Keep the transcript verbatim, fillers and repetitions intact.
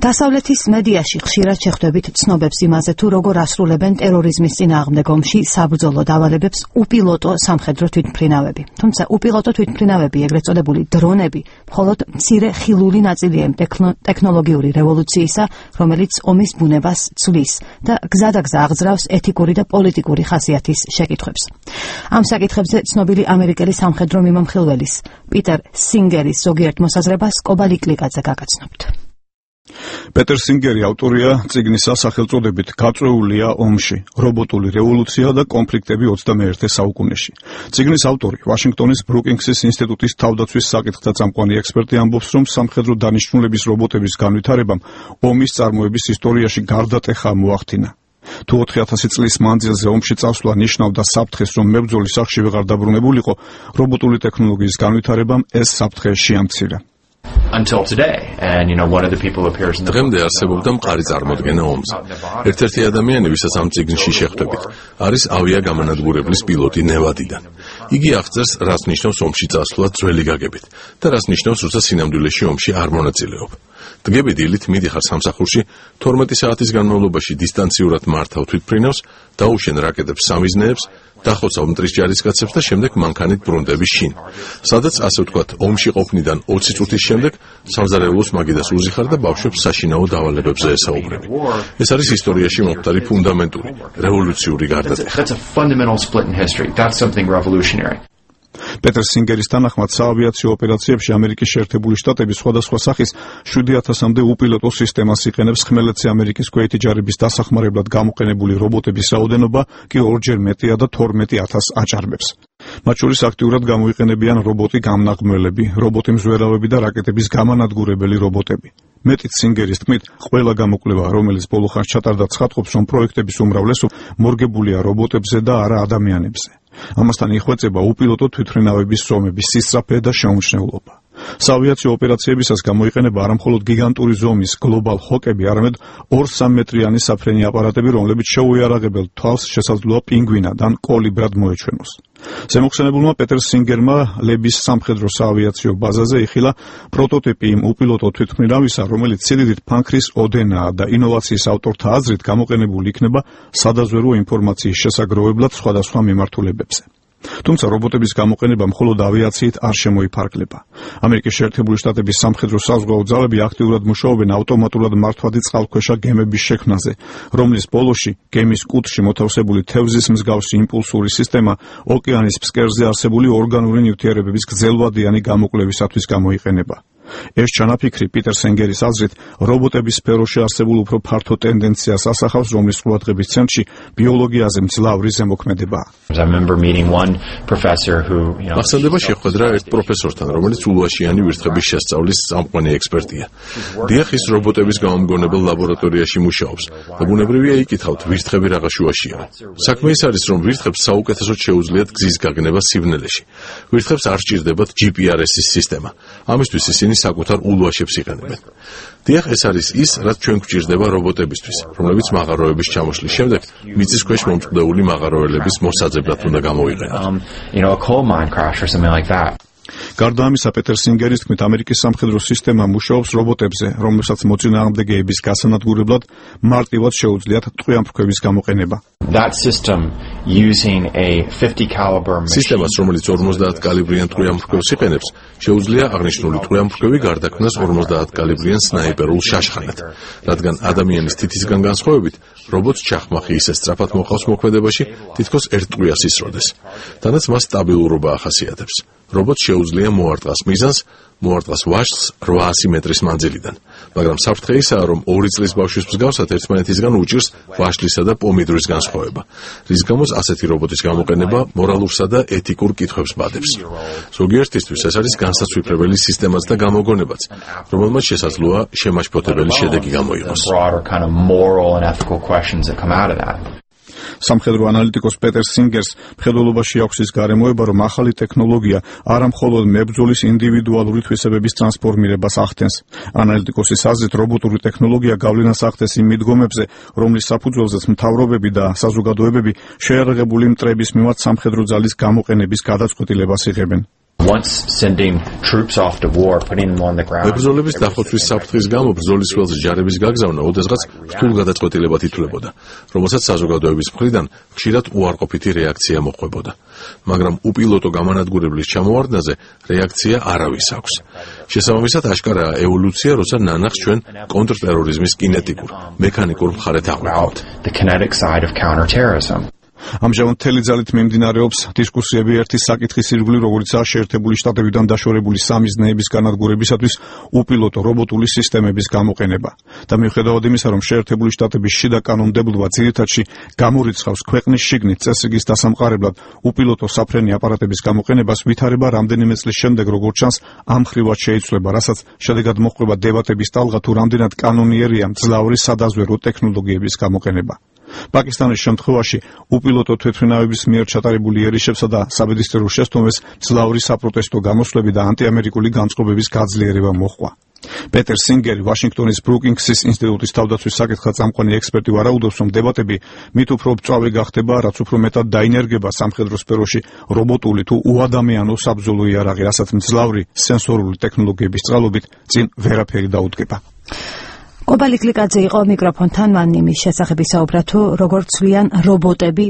დასავლეთის მედიაში ხშირად შეხვდებით ცნობებს იმაზე, თუ როგორ ასრულებენ ტერორიზმის წინააღმდეგ ომში საბრძოლო დავალებებს უპილოტო სამხედრო თვითმფრინავები. თუმცა უპილოტო თვითმფრინავები, ეგრეთ წოდებული დრონები, მხოლოდ მცირე ხილული ნაწილია იმ ტექნოლოგიური რევოლუციისა, რომელიც ომის ბუნებას ცვლის და გზადაგზა აღძრავს ეთიკური და პოლიტიკური ხასიათის შეკითხვებს. ამ საკითხებზე ცნობილი ამერიკელი სამხედრო მიმომხილველის პიტერ სინგერის ზოგიერთ მოსაზრებას კობალი კლიკაძე გაგაცნობთ. პეტერ სინგერი ავტორია წიგნისა სახელწოდებით გაწვეულია ომში, რობოტული რევოლუცია და კონფლიქტები ოცდამეერთე საუკუნეში. წიგნის ავტორი, ვაშინგტონის ბრუკინგსის ინსტიტუტის თავდაცვის საკითხთა წამყვანი ექსპერტი ამბობს, რომ სამხედრო დანიშნულების რობოტების განვითარებამ ომის წარმოების ისტორიაში გარდატეხა მოახდინა. თუ ოთხი ათასი წლის მანძილზე ომში წასვლა ნიშნავდა საფრთხეს, რომ მებრძოლი სახლში ვეღარ დაბრუნებულიყო, რობოტული ტექნოლოგიის განვითარებამ ეს საფრთხე შეამცირა. Until today, and you know, one of the people who appears in the დღემდე არსებობდა მყარი წარმოდგენა ომზე. ერთ-ერთი ადამიანი, ვისაც ამ წიგნში შეხვდებით, არის ავიაგამანადგურებლის პილოტი ნევადიდან. იგი აღწერს, რაც ნიშნავს ომში წასვლა ძველი გაგებით და რაც ნიშნავს, როცა სინამდვილეში ომში არ მონაწილეობ. დღები დილით მიდიხარ სამსახურში, თორმეტი საათის განმავლობაში დისტანციურად მართავ თვითმფრინავს, დაუშენ რაკეტებს სამიზნეებს, დახოცავ მტრის ჯარისკაცებს და შემდეგ მანქანით ბრუნდები შინ. სადაც ასე ვთქვათ, ომში ყოფნიდან ოცი წუთის შემდეგ სამზარეულოს მაგიდას უზიხარ და ბავშვებს საშინაო დავალებებზე ესაუბრები. ეს არის ისტორიაში მომხდარი ფუნდამენტური, რევოლუციური გარდატეხა. პეტერ სინგერის თანახმად საავიაციო ოპერაციებში ამერიკის შეერთებული შტატები სხვადასხვა სახის შვიდი ათასამდე უპილოტო სისტემას იყენებს. ხმელეთზე ამერიკის ქვეითი ჯარების დასახმარებლად გამოყენებული რობოტების რაოდენობა კი ორჯერ მეტია და თორმეტი ათასს აჭარბებს. მათ შორის აქტიურად გამოიყენებიან რობოტი გამნაღმველები, რობოტი მზვერავები და რაკეტების გამანადგურებელი რობოტები. მეტიც სინგერის თქმით, ყველა გამოკვლევა, რომელიც ბოლო ხანს ჩატარდა, ცხადყოფს, რომ პროექტების უმრავლესობა მორგებულია რობოტებზე და არა ადამიანებზე. ამასთან იხვეწება უპილოტო თვითმფრინავების ზომების სისწრაფე და შეუმჩნევლობა. საავიაციო ოპერაციებისას გამოიყენება არამხოლოდ გიგანტური ზომის გლობალ ჰოკები, არამედ ორ სამ მეტრიანი საფრენი აპარატები, რომლებიც შეუიარაღებელ თვალს შესაძლოა პინგვინად ან კოლიბრად მოეჩვენოს. ზემოხსენებულმა პეტერ სინგერმა ლების სამხედრო საავიაციო ბაზაზე იხილა პროტოტიპი იმ უპილოტო თვითმფრინავისა, რომელიც სიდიდით ფანქრის ოდენაა და ინოვაციის ავტორთა აზრით გამოყენებული იქნება სადაზვერო ინფორმაციის შესაგროვებლად სხვადასხვა მიმართულებებზე. თუმცა რობოტების გამოყენება მხოლოდ ავიაციით არ შემოიფარგლება. ამერიკის შეერთებული შტატების სამხედრო საზღვაო ძალები აქტიურად მუშაობენ ავტომატურად მართვადი წყალქვეშა გემების შექმნაზე, რომლის ბოლოში გემის კუთხში მოთავსებული თევზის მსგავსი იმპულსური სისტემა ოკეანის ფსკერზე არსებული ორგანული ნივთიერებების გრძელვადიანი გამოკვლევისათვის გამოიყენება. ეს ჩანაფიქრი პიტერ სინგერის აზრით რობოტების სფეროში არსებულ უფრო ფართო ტენდენციას ასახავს, რომლის ყურადღების ცენტრში ბიოლოგიაზე მძლავრი ზემოქმედებაა. ახსენდება შეხვედრა ერთ პროფესორთან, რომელიც ულუაშიანი ვირთხების შესწავლის წამყვანი ექსპერტია. დიახ, ის რობოტების გამომგონებელ ლაბორატორიაში მუშაობს და ბუნებრივია იკითხავთ, ვირთხები რაღა შუაშია. საქმე ის არის, რომ ვირთხებს საუკეთესოდ შეუძლიათ გზის გაგნება სივნელეში. ვირთხებს არ სჭირდებათ ჯი პი არ ეს-ის სისტემა. ამისთვის ისინი საკუთარ ულუაშებს იყენებენ. დიახ, ეს არის ის, რაც ჩვენ გვჭირდება რობოტებისთვის, რომლებიც მაღაროების ჩამოშლის შემდეგ მიწის ქვეშ მომწყდეული მაღაროელების მოსაძებლად უნდა გამოვიყენოთ. გარდა ამისა, პეტერ სინგერის თქმით, ამერიკის სამხედრო სისტემა მუშაობს რობოტებზე, რომლებსაც მოწინააღმდეგეების გასანადგურებლად მარტივად შეუძლიათ ტყვიამფრქვევის გამოყენება. სისტემას, რომელიც ორმოცდაათ კალიბრიან ტყვიამფრქვევს იყენებს, შეუძლია აღნიშნული ტყვიამფრქვევი გარდაქმნას ორმოცდაათ კალიბრიან სნაიპერულ შაშხანად, რადგან ადამიანის თითისგან განსხვავებით, რობოტს ჩახმახი ისე სწრაფად მოყავს მოქმედებაში, თითქოს ერთ ტყვიას ისროდეს. თანაც მას სტაბილურობა ახასიათებს. რობოტს შეუძლია მოარტყას მიზანს, მოარტყას ვაშლს რვაასი მეტრის მანძილიდან, მაგრამ საფრთხე ისაა, რომ ორი წლის ბავშვის მსგავსად ერთმანეთისგან უჭირს ვაშლისა და პომიდორის განსხვავება, რის გამოც ასეთი რობოტის გამოყენება მორალურსა და ეთიკურ კითხვებს ბადებს. ზოგიერთისთვის ეს არის განსაცვიფრებელი სისტემაც და გამოგონებაც, რომელმაც შესაძლოა შემაშფოთებელი შედეგი გამოიღოს. სამხედრო ანალიტიკოს პეტერ სინგერს მხედველობაში აქვს ის გარემოება, რომ ახალი ტექნოლოგია არა მხოლოდ მებრძოლის ინდივიდუალური თვისებების ტრანსფორმირებას ახდენს. ანალიტიკოსის აზრით, რობოტური ტექნოლოგია გავლენას ახდენს იმ მიდგომებზე, რომლის საფუძველზეც მთავრობები და საზოგადოებები შეიარაღებული მტრების მიმართ სამხედრო ძალის გამოყენების გადაწყვეტილებას იღებენ. Once sending troops off to war, putting them on the ground. მებრძოლების დახოცვის საფრთხის გამო ბრძოლის ველზე ჯარების გაგზავნა ოდესღაც რთულ გადაწყვეტილებად ითვლებოდა, რომელსაც საზოგადოების მხრიდან ხშირად უარყოფითი რეაქცია მოჰყვებოდა. მაგრამ უპილოტო გამანადგურებლის ჩამოვარდნაზე რეაქცია არავის აქვს. შესაბამისად აშკარაა ევოლუცია, როცა ნანახს ჩვენ კონტრტერორიზმის კინეტიკურ, მექანიკურ მხარეთ აღვიქვამთ. The kinetic side of counterterrorism. ამჟამად მთელი ძალით მიმდინარეობს დისკუსიები ერთი საკითხის ირგვლივ, როგორიცაა შეერთებული შტატებიდან დაშორებული სამი ზნეების განადგურებისათვის უპილოტო რობოტული სისტემების გამოყენება. და მიუხედავად იმისა, რომ შეერთებული შტატების შიდა კანონმდებლობა ძირითადში გამორიცხავს ქვეყნის შიგნით წესრიგის დასამყარებლად უპილოტო საფრენი აპარატების გამოყენებას, ვითარება რამდენიმე წლის შემდეგ, როგორც ჩანს, ამ ხრივად შეიცვლება, რასაც შედეგად მოჰყვება დებატების ტალღა, თუ რამდენად კანონიერია მძლავრი სადაზვერო ტექნოლოგიების გამოყენება. პაკისტანის შემთხვევაში უპილოტო თვითმფრინავების მიერ ჩატარებული ერიშებსა და საბედისწერო შესტომებს მძლავრი საპროტესტო გამოსვლები და ანტიამერიკული განწყობების გაძლიერება მოჰყვა. პეტერ სინგერი, ვაშინგტონის ბრუკინგსის ინსტიტუტის თავდაცვის საკითხად წამყვანი ექსპერტი ვარაუდობს, რომ დებატები მით უფრო მწვავე გახდება, რაც უფრო მეტად დაინერგება სამხედრო სფეროში რობოტული თუ უადამიანო საბრძოლო იარაღი, რასაც მძლავრი სენსორული ტექნოლოგიების წყალობით წინ ვერაფერი დაუდგება. კობალი გლიკაძე იყო მიკროფონთან, მან იმის შესახებ ისაუბრა, თუ როგორ ცვლიან რობოტები